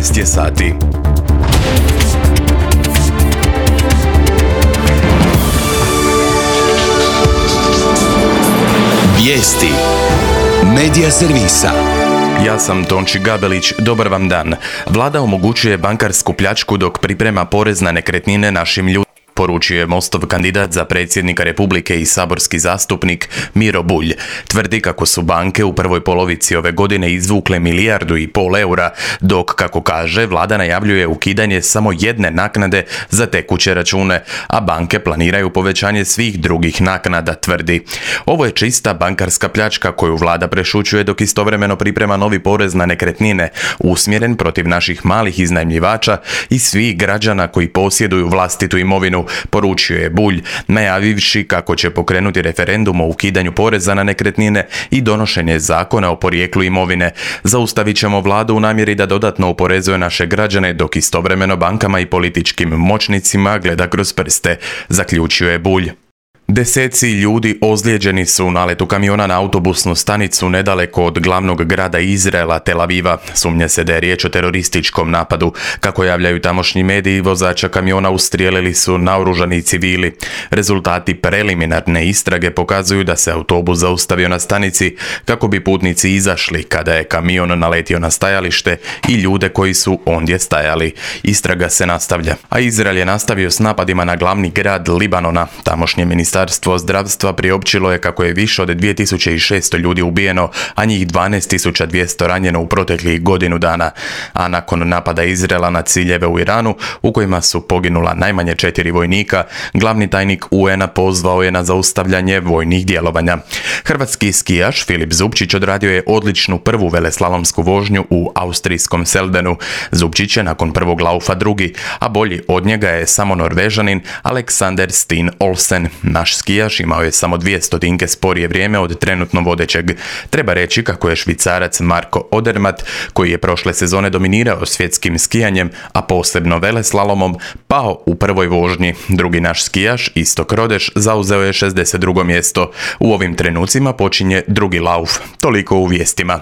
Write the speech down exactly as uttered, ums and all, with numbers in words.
jedanaest je sati. Vijesti Medija servisa. Ja sam Tonči Gabelić, dobar vam dan. Vlada omogućuje bankarsku pljačku dok priprema porez na nekretnine našim ljudima, poručuje Mostov kandidat za predsjednika Republike i saborski zastupnik Miro Bulj. Tvrdi kako su banke u prvoj polovici ove godine izvukle milijardu i pol eura, dok, kako kaže, vlada najavljuje ukidanje samo jedne naknade za tekuće račune, a banke planiraju povećanje svih drugih naknada, tvrdi. Ovo je čista bankarska pljačka koju vlada prešućuje dok istovremeno priprema novi porez na nekretnine, usmjeren protiv naših malih iznajmljivača i svih građana koji posjeduju vlastitu imovinu, poručio je Bulj, najavivši kako će pokrenuti referendum o ukidanju poreza na nekretnine i donošenje zakona o porijeklu imovine. Zaustavit ćemo vladu u namjeri da dodatno oporezuje naše građane dok istovremeno bankama i političkim moćnicima gleda kroz prste, zaključio je Bulj. Deseci ljudi ozlijeđeni su u naletu kamiona na autobusnu stanicu nedaleko od glavnog grada Izraela, Tel Aviva. Sumnja se da je riječ o terorističkom napadu. Kako javljaju tamošnji mediji, vozača kamiona ustrijelili su naoružani civili. Rezultati preliminarne istrage pokazuju da se autobus zaustavio na stanici kako bi putnici izašli kada je kamion naletio na stajalište i ljude koji su ondje stajali. Istraga se nastavlja, a Izrael je nastavio s napadima na glavni grad Libanona. Tamošnje ministarstvo Ministarstvo zdravstva priopćilo je kako je više od dvije tisuće šesto ljudi ubijeno, a njih dvanaest tisuća dvjesto ranjeno u proteklih godinu dana. A nakon napada Izraela na ciljeve u Iranu, u kojima su poginula najmanje četiri vojnika, glavni tajnik U N-a pozvao je na zaustavljanje vojnih djelovanja. Hrvatski skijaš Filip Zupčić odradio je odličnu prvu veleslalomsku vožnju u austrijskom Seldenu. Zupčić je nakon prvog laufa drugi, a bolji od njega je samo Norvežanin Alexander Steen Olsen. Naš skijaš imao je samo dvije stotinke sporije vrijeme od trenutno vodećeg. Treba reći kako je Švicarac Marko Odermatt, koji je prošle sezone dominirao svjetskim skijanjem, a posebno veleslalomom, pao u prvoj vožnji. Drugi naš skijaš, Istok Rodeš, zauzeo je šezdeset drugo mjesto. U ovim trenucima počinje drugi lauf. Toliko u vijestima.